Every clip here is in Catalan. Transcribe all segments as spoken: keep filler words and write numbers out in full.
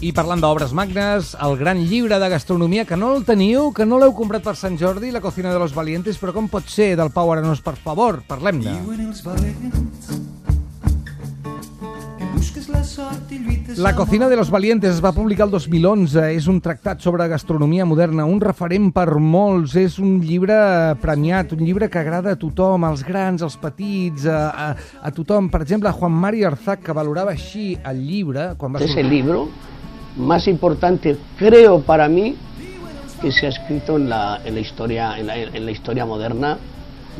I parlant d'obres magnes, el gran llibre de gastronomia, que no el teniu, que no l'heu comprat per Sant Jordi, La cocina de los valientes, però com pot ser, del Pau Arenós, per favor, parlem-ne. La cocina de los valientes es va publicar el dos mil onze, és un tractat sobre gastronomia moderna, un referent per molts, és un llibre premiat, un llibre que agrada a tothom, als grans, als petits, a, a, a tothom. Per exemple, a Juan Mari Arzac, que valorava així el llibre... Quan va es el libro más importante, creo, para mí, que se ha escrito en la, en la, historia, en la, en la historia moderna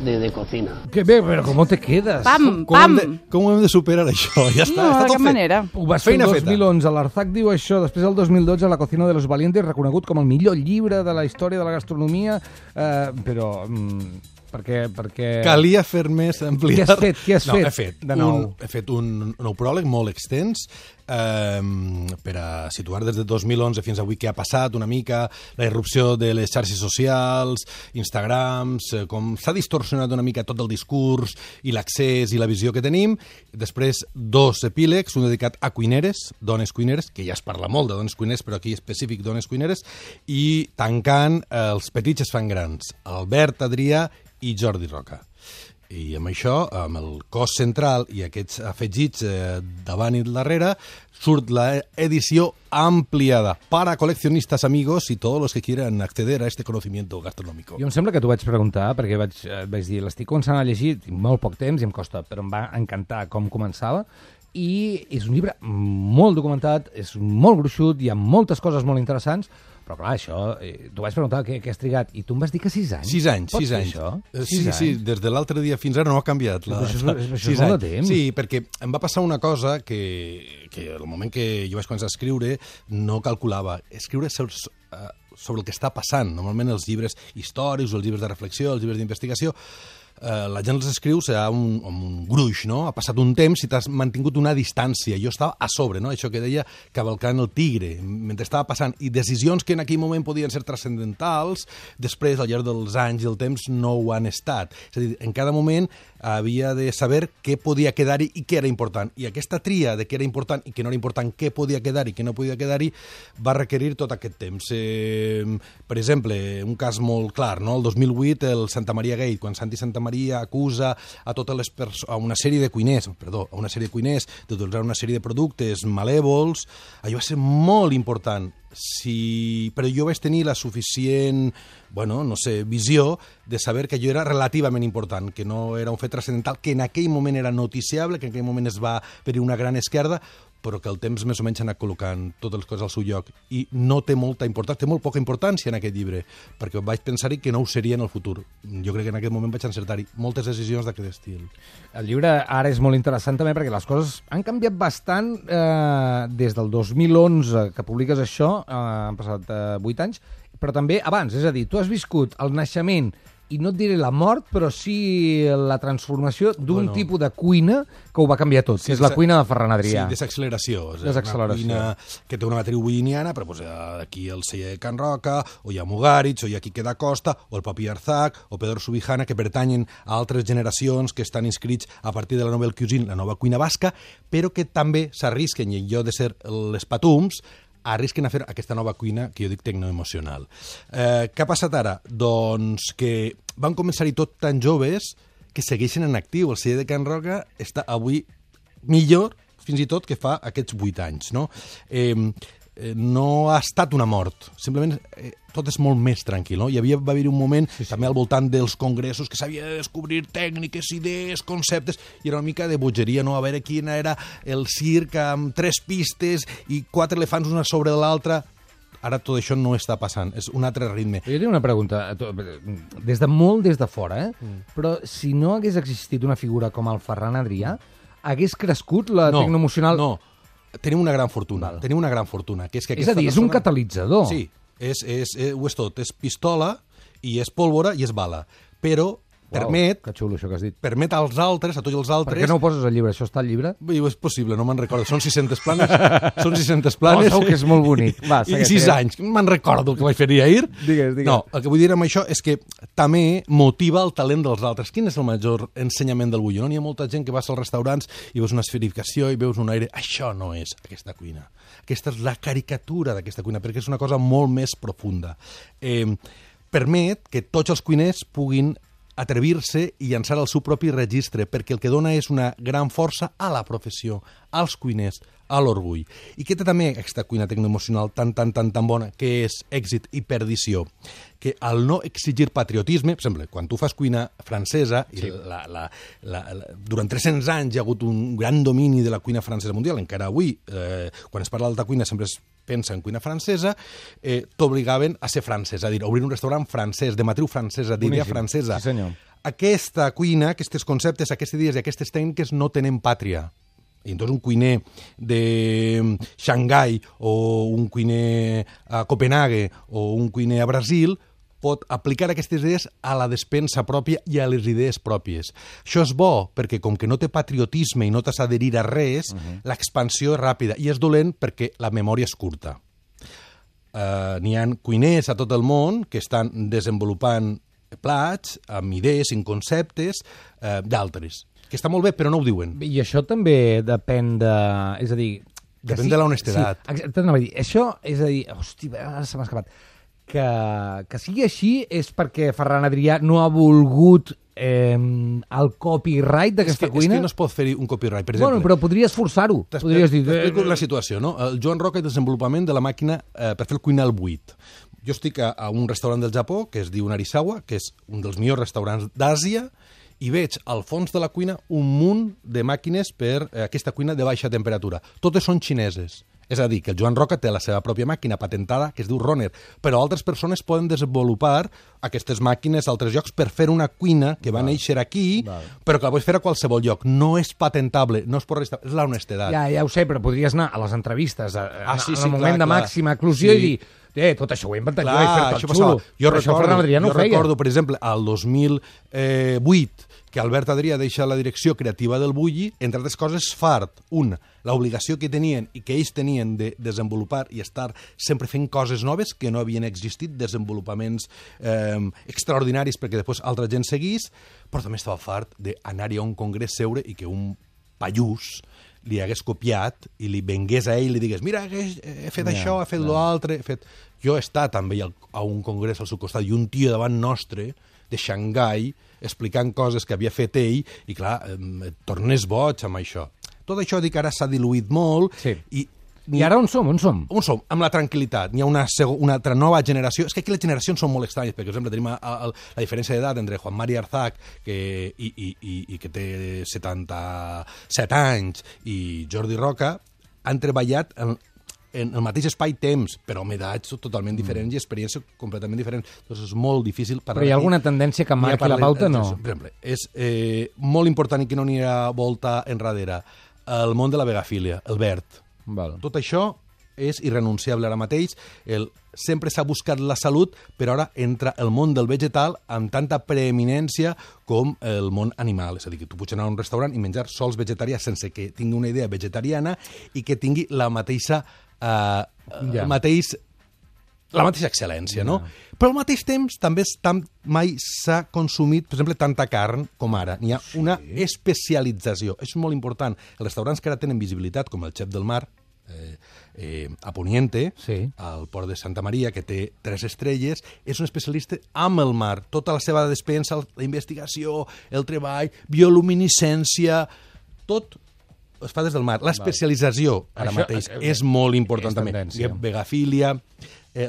de, de cocina. Que bé, però com te quedes? Pam, Com pam! hem de, com hem de superar això? Ja està, No, està de tot cap fet. manera. Ho va fer el Feina dos feta. mil onze, l'Arzac diu això, després el dos mil dotze La cocina de los valientes, reconegut com el millor llibre de la història de la gastronomia, eh, però... Mm, perquè, perquè... Calia fer més, ampliar... Què has fet? Què has no, fet, he fet, de nou? un, he fet un nou pròleg molt extens eh, per a situar des de dos mil onze fins avui què ha passat, una mica la irrupció de les xarxes socials, Instagrams, eh, com s'ha distorsionat una mica tot el discurs i l'accés i la visió que tenim. Després, dos epílegs, un dedicat a cuineres, dones cuineres, que ja es parla molt de dones cuineres, però aquí específic dones cuineres, i tancant eh, Els petits es fan grans, Albert Adrià i Jordi Roca. I amb això, amb el cos central i aquests afegits eh, davant i darrere, surt la edició ampliada para coleccionistas, amigos y todos los que quieran acceder a este conocimiento gastronómico. Jo em sembla que t'ho vaig preguntar, perquè vaig, et vaig dir, l'estic començant a llegir, tinc molt poc temps i em costa, però em va encantar com començava, i és un llibre molt documentat, és molt gruixut, hi ha moltes coses molt interessants, però clar, això, eh, t'ho vaig preguntar què, què has trigat, i tu em vas dir que sis anys. Sis anys, Pots sis fer anys. Això? Eh, Sis Sí, anys? sí, des de l'altre dia fins ara no ha canviat. La, Però això és- això és sis molt de anys. temps. Sí, perquè em va passar una cosa que, que al moment que jo vaig començar a escriure no calculava. Escriure sobre, uh, sobre el que està passant. Normalment els llibres històrics, els llibres de reflexió, els llibres d'investigació, Uh, la gent els escriu serà un, amb un gruix, no? Ha passat un temps i t'has mantingut una distància. Jo estava a sobre, no? Això que deia cavalcant el tigre, mentre estava passant. I decisions que en aquell moment podien ser transcendentals, després, al llarg dels anys i el temps, no ho han estat. És a dir, en cada moment havia de saber què podia quedar-hi i què era important. I aquesta tria de què era important i què no era important, què podia quedar-hi i què no podia quedar-hi, va requerir tot aquest temps. Eh, per exemple, un cas molt clar, no? El dos mil vuit, el Santa Maria Gate, quan Santi Santa Maria acusa a totes les perso- a una sèrie de cuiners, perdó, a una sèrie de cuiners d'utilitzar una sèrie de productes malèvols, allò va ser molt important. Si... Però jo vaig tenir la suficient, bueno, no sé, visió de saber que allò era relativament important, que no era un fet transcendental, que en aquell moment era noticiable, que en aquell moment es va per una gran esquerda, però que el temps més o menys ha anat col·locant totes les coses al seu lloc. I no té molta importància, té molt poca importància en aquest llibre, perquè vaig pensar-hi que no ho seria en el futur. Jo crec que en aquest moment vaig encertar-hi moltes decisions d'aquest estil. El llibre ara és molt interessant també perquè les coses han canviat bastant eh, des del dos mil onze que publiques això, eh, han passat vuit eh, anys, però també abans, és a dir, tu has viscut el naixement i no et diré la mort, però sí la transformació d'un Bueno. tipus de cuina que ho va canviar tot, Sí, que és la desa- cuina de Ferran Adrià. Sí, desacceleració. És Desacceleració. Una cuina que té una matriu bulliniana, però pues, aquí el celler de Can Roca, o hi ha Mugaritz, o hi ha Quique da Costa, o el Papi Arzac, o Pedro Subijana, que pertanyen a altres generacions que estan inscrits a partir de la Nouvelle Cuisine, la nova cuina basca, però que també s'arrisquen, i en lloc de ser les patums, arrisquen a fer aquesta nova cuina que jo dic tecnoemocional. Eh, què ha passat ara? Doncs que van començar-hi tot tan joves que segueixen en actiu. El celler de Can Roca està avui millor, fins i tot, que fa aquests vuit anys. No, eh, eh, no ha estat una mort, simplement eh, tot és molt més tranquil. No? Hi havia, va haver un moment sí, sí. també al voltant dels congressos que s'havia de descobrir tècniques, idees, conceptes, i era una mica de bogeria, no? A veure quina era el circ amb tres pistes i quatre elefants una sobre l'altra. Ara tot això no està passant, és un altre ritme. Jo tinc una pregunta, des de molt des de fora, eh? Mm. però si no hagués existit una figura com el Ferran Adrià, hagués crescut la no, tecnoemocional... No, tenim una gran fortuna, Val. tenim una gran fortuna. Que és, que és a dir, és un persona... catalitzador. Sí, és, és, és, ho és tot, és pistola, i és pólvora, i és bala. Però Uau, permet, que xulo això que has dit. permet als altres, a tots els Per altres... què no ho poses al llibre? Això està al llibre? Bé, és possible, no me'n recordo. Són sis-centes planes. Són sis-centes planes. Oh, segur que és molt bonic. Va, I segueix, sis segueix. anys. Me'n recordo el que vaig fer ahir. Digues, digues. No, el que vull dir amb això és que també motiva el talent dels altres. Quin és el major ensenyament del bulló? No? N'hi ha molta gent que vas als restaurants i veus una esferificació i veus un aire. Això no és aquesta cuina. aquesta és la caricatura d'aquesta cuina, perquè és una cosa molt més profunda. Eh, permet que tots els cuiners puguin atrevir-se i llançar el seu propi registre, perquè el que dona és una gran força a la professió, als cuiners, a l'orgull. I que té també aquesta cuina tecnoemocional tan, tan, tan, tan bona, que és èxit i perdició, que al no exigir patriotisme, per exemple, quan tu fas cuina francesa, sí. i la, la, la, la, durant tres-cents anys hi ha hagut un gran domini de la cuina francesa mundial, encara avui, eh, quan es parla d'alta cuina sempre es pensa en cuina francesa, eh, t'obligaven a ser francès, a dir, a obrir un restaurant francès, de matriu francesa, d'idea francesa. Sí, senyor. Aquesta cuina, aquests conceptes, aquestes idees i aquestes tècniques no tenen pàtria. I entonces un cuiner de Xangai o un cuiner a Copenhague o un cuiner a Brasil pot aplicar aquestes idees a la despensa pròpia i a les idees pròpies. Això és bo perquè com que no té patriotisme i no t'has d'adherir a res, uh-huh. l'expansió és ràpida i és dolent perquè la memòria és curta. Uh, n'hi ha cuiners a tot el món que estan desenvolupant plats amb idees, amb conceptes uh, d'altres. Que està molt bé, però no ho diuen. I això també depèn de... És a dir... Depèn sí, de l'honestedat. Sí, t'anava a dir. Això, és a dir... Hosti, ara se m'ha escapat. Que, que sigui així és perquè Ferran Adrià no ha volgut eh, el copyright d'aquesta és que, cuina? És que no es pot fer un copyright, per exemple. Bueno, però podries forçar-ho. Podries dir... T'explico la situació, no? El Joan Roca és desenvolupament de la màquina eh, per fer el cuinar al buit. Jo estic a, a un restaurant del Japó, que es diu Narisawa, que és un dels millors restaurants d'Àsia, i veig al fons de la cuina un munt de màquines per eh, aquesta cuina de baixa temperatura. Totes són xineses. És a dir, que el Joan Roca té la seva pròpia màquina patentada, que es diu Roner, però altres persones poden desenvolupar aquestes màquines a altres llocs per fer una cuina que va néixer aquí, Val. però que la pots fer a qualsevol lloc. No és patentable, no es pot restar, és la honestedat. Ja, ja ho sé, però podries anar a les entrevistes, a, ah, sí, en sí, el moment clar, de clar. màxima eclusió sí. i dir... Eh, tot això ho he inventat Clar, jo, he fet això tot xulo. Jo, però recordo, això Ferran Adrià no jo ho feia. recordo, per exemple, al dos mil vuit, que Albert Adrià deixa la direcció creativa del Bulli, entre altres coses, fart. Un, l'obligació que tenien i que ells tenien de desenvolupar i estar sempre fent coses noves que no havien existit, desenvolupaments eh, extraordinaris perquè després altra gent seguís, però també estava fart d'anar-hi a un congrés, seure i que un pallús li hagués copiat i li vengués a ell i li digués mira, he fet ja, això, he fet ja. l'altre... He fet... Jo he estat també a un congrés al seu costat i un tio davant nostre de Xangai explicant coses que havia fet ell i clar, et tornes boig amb això. Tot això dic ara s'ha diluït molt sí. i I ara on som? On som? On som? Amb la tranquil·litat. N'hi ha una, una altra nova generació. És que aquí les generacions són molt estranyes, perquè, per exemple, tenim a, a, la diferència d'edat entre Juan Mari Arzac, que, i, i, i, i que té setanta-set anys, i Jordi Roca, han treballat en, en el mateix espai-temps, però amb edats totalment diferents mm. i experiències completament diferents. Doncs és molt difícil parlar. Però hi ha alguna tendència que marqui la pauta, no? Per exemple, és eh, molt important i que no n'hi ha volta enrere. El món de la vegafília, el verd. Val. Tot això és irrenunciable ara mateix. El, sempre s'ha buscat la salut, però ara entra el món del vegetal amb tanta preeminència com el món animal. És a dir, que tu pots anar a un restaurant i menjar sols vegetarià sense que tingui una idea vegetariana i que tingui la mateixa, eh, ja. el mateix, la mateixa excel·lència, no? Ja. Però al mateix temps també tam, mai s'ha consumit, per exemple, tanta carn com ara. N'hi ha sí. una especialització. És molt important. Els restaurants que ara tenen visibilitat, com el Xef del Mar, eh, eh, a Poniente, sí. al port de Santa Maria, que té tres estrelles, és un especialista amb el mar. Tota la seva despensa, la investigació, el treball, bioluminescència, tot es fa des del mar. L'especialització, ara Això, mateix, eh, és molt important és també. Vegafília... Eh,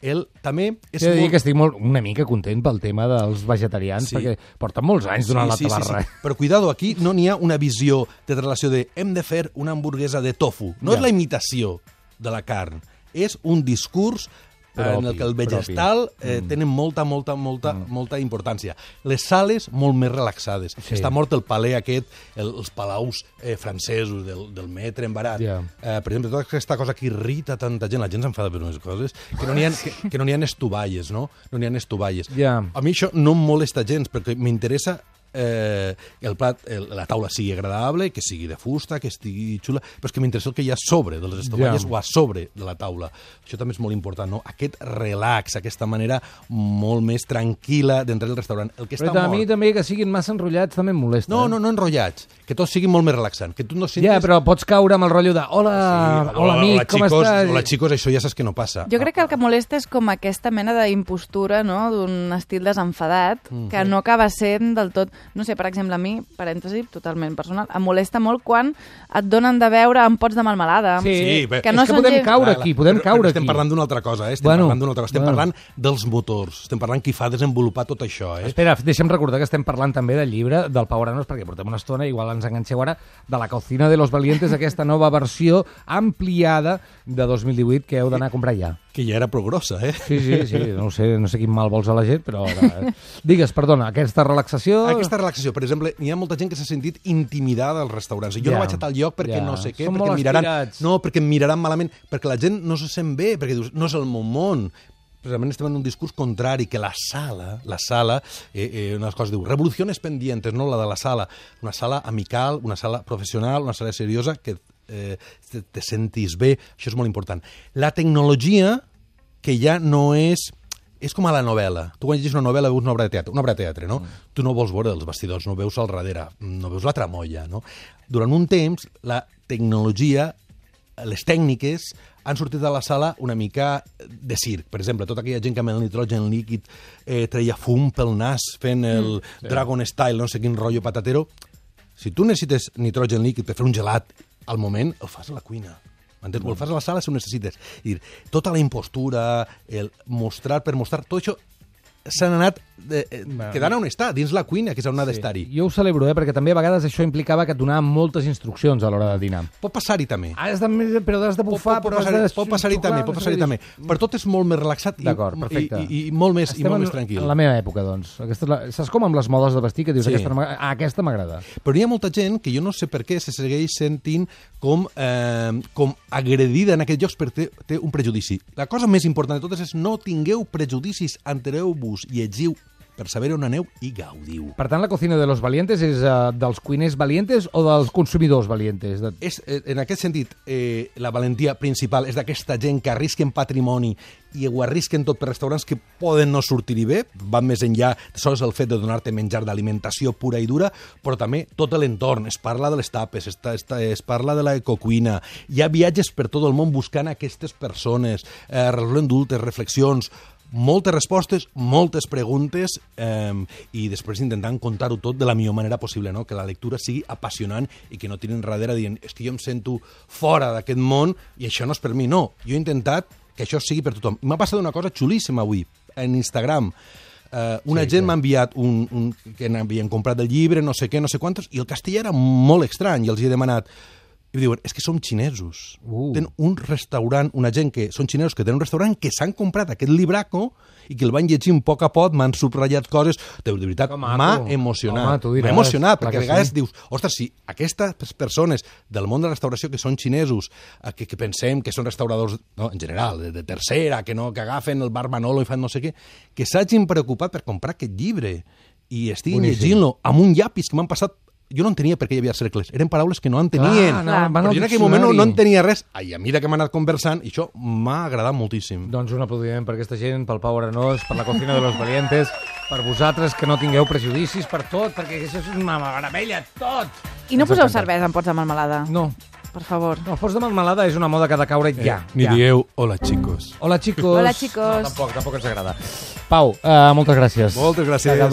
ell també és He de dir molt... que estic molt, una mica content pel tema dels vegetarians, sí. perquè porten molts anys donant sí, sí, la tabarra. Sí, sí. Però cuidado, aquí no n'hi ha una visió de relació de hem de fer una hamburguesa de tofu. No ja. és la imitació de la carn, és un discurs propi, en el que el vegetal eh, mm. tenen molta, molta, molta, mm. molta importància. Les sales molt més relaxades. Sí. Està mort el palè aquest, el, els palaus eh, francesos del, del metre embarat. Yeah. Eh, per exemple, tota aquesta cosa que irrita tanta gent, la gent s'enfada per unes coses, que no n'hi ha, que, que no n'hi ha estovalles, no? No n'hi ha estovalles. Yeah. A mi això no em molesta gens, perquè m'interessa eh, el plat, el, la taula sigui agradable, que sigui de fusta, que estigui xula, però és que m'interessa el que hi ha sobre de les estovalles Ja. o a sobre de la taula. Això també és molt important, no? Aquest relax, aquesta manera molt més tranquil·la d'entrar al restaurant. El que està Però a mort... mi també que siguin massa enrotllats també em molesta. No, eh? no, no enrotllats, que tot sigui molt més relaxant, que tu no sentis... Ja, però pots caure amb el rotllo de hola, Sí, hola amic, hola, com xicos, estàs? Hola, xicos, això ja saps que no passa. Jo crec que el que molesta és com aquesta mena d'impostura, no?, d'un estil desenfadat, mm. que no acaba sent del tot... No sé, per exemple, a mi, parèntesi, totalment personal, em molesta molt quan et donen de beure amb pots de melmelada. Sí, Sí, però- que és no que són podem gens- caure Clar, aquí, podem però- caure però estem aquí. parlant d'una altra cosa, eh? Estem Bueno, parlant d'una altra cosa. Estem bueno. parlant dels motors, estem parlant qui fa desenvolupar tot això, eh? Espera, deixa'm recordar que estem parlant també del llibre del Pau Aranos, perquè portem una estona, igual ens enganxeu ara, de la Cocina de los Valientes, aquesta nova versió ampliada de dos mil divuit que heu d'anar a comprar ja. Que ja era prou grossa, eh? Sí, sí, sí, no ho sé, no sé quin mal vols a la gent, però... Ara... Digues, perdona, aquesta relaxació... Aquesta relaxació, per exemple, hi ha molta gent que s'ha sentit intimidada als restaurants. Jo Ja, no vaig a tal lloc perquè ja. no sé què, Són perquè molt em miraran... estirats. No, perquè em miraran malament, perquè la gent no se sent bé, perquè dius, no és el meu món. Precisament estem en un discurs contrari, que la sala, la sala, eh, eh, unes coses diu, revoluciones pendientes, no la de la sala, una sala amical, una sala professional, una sala seriosa, que eh, te, te sentis bé, això és molt important. La tecnologia, que ja no és... És com a la novel·la. Tu quan llegis una novel·la veus una obra de teatre, una obra de teatre, no? Mm. Tu no vols veure els vestidors, no veus al darrere, no veus la tramolla, no? Durant un temps, la tecnologia, les tècniques, han sortit de la sala una mica de circ. Per exemple, tota aquella gent que amb el nitrogen líquid eh, treia fum pel nas fent el mm, sí. Dragon Style, no sé quin rotllo patatero. Si tu necessites nitrogen líquid per fer un gelat al moment, el fas a la cuina. Entens? Mm. O el fas a la sala si ho necessites. I dir, tota la impostura, el mostrar per mostrar, tot això s'han anat eh, bueno. quedant on està, dins la cuina, que és on ha d'estar-hi. Jo ho celebro, eh, perquè també a vegades això implicava que et donaven moltes instruccions a l'hora de dinar. Pot passar-hi també. Has de, però has de bufar, pot, pot, però has passar, de... pot passar-hi també, pot passar-hi també. Per tot és molt més relaxat i, D'acord, perfecte. i, i, i molt més, i Estem molt en, més tranquil. en la meva època, doncs. Aquesta és la... Saps com amb les modes de vestir, que dius, Sí. aquesta, no m'agrada? ah, aquesta m'agrada. Però hi ha molta gent que jo no sé per què se segueix sentint com, eh, com agredida en aquests llocs perquè té, té un prejudici. La cosa més important de totes és no tingueu prejudicis, entereu-vos, llegiu per saber on aneu i gaudiu. Per tant, la Cocina de los Valientes és uh, dels cuiners valientes o dels consumidors valientes? De... És, eh, en aquest sentit, eh, la valentia principal és d'aquesta gent que arrisquen patrimoni i ho arrisquen tot per restaurants que poden no sortir-hi bé, van més enllà de sols el fet de donar-te menjar d'alimentació pura i dura, però també tot l'entorn, es parla de les tapes, es, es, es parla de l'ecocuina, hi ha viatges per tot el món buscant aquestes persones, eh, resolent dubtes, reflexions, moltes respostes, moltes preguntes eh, i després intentant contar-ho tot de la millor manera possible, no? Que la lectura sigui apassionant i que no tirin darrere dient és que jo em sento fora d'aquest món i això no és per mi. No, jo he intentat que això sigui per tothom. M'ha passat una cosa xulíssima avui, en Instagram. Uh, una sí, gent sí. m'ha enviat un, un, que n'havien comprat el llibre, no sé què, no sé quantos, i el castellà era molt estrany, i els hi he demanat. I diuen, és que som xinesos. Uh. Tenen un restaurant, una gent que són xinesos que tenen un restaurant que s'han comprat aquest libraco i que el van llegint a poc a poc, m'han subratllat coses. De, de veritat, m'ha emocionat. Home, tu diràs, m'ha emocionat, clar perquè a que vegades sí. dius, ostres, si aquestes persones del món de la restauració que són xinesos, eh, que, que pensem que són restauradors, no, en general, de, de tercera, que no que agafen el bar Manolo i fan no sé què, que s'hagin preocupat per comprar aquest llibre i estiguin Boníssim. llegint-lo amb un llapis que m'han passat. Jo no entenia per què hi havia cercles. Eren paraules que no entenien. Clar, no, Clar. van Però al jo en aquell moment no, diccionari. no entenia res. I a mesura que hem anat conversant, i això m'ha agradat moltíssim. Doncs un aplaudiment per aquesta gent, pel Pau Arenós, per la Cocina de los Valientes, per vosaltres que no tingueu prejudicis per tot, perquè això és una meravella, tot! I no Ens poseu encanta. cervesa en pots de melmelada, No, per favor. no, pots de melmelada és una moda que ha de caure ja. Eh, Ni ja. dieu, hola, xicos. Hola, chicos. Hola, chicos. No, tampoc, tampoc ens agrada. Pau, uh, moltes gràcies. Moltes gràcies.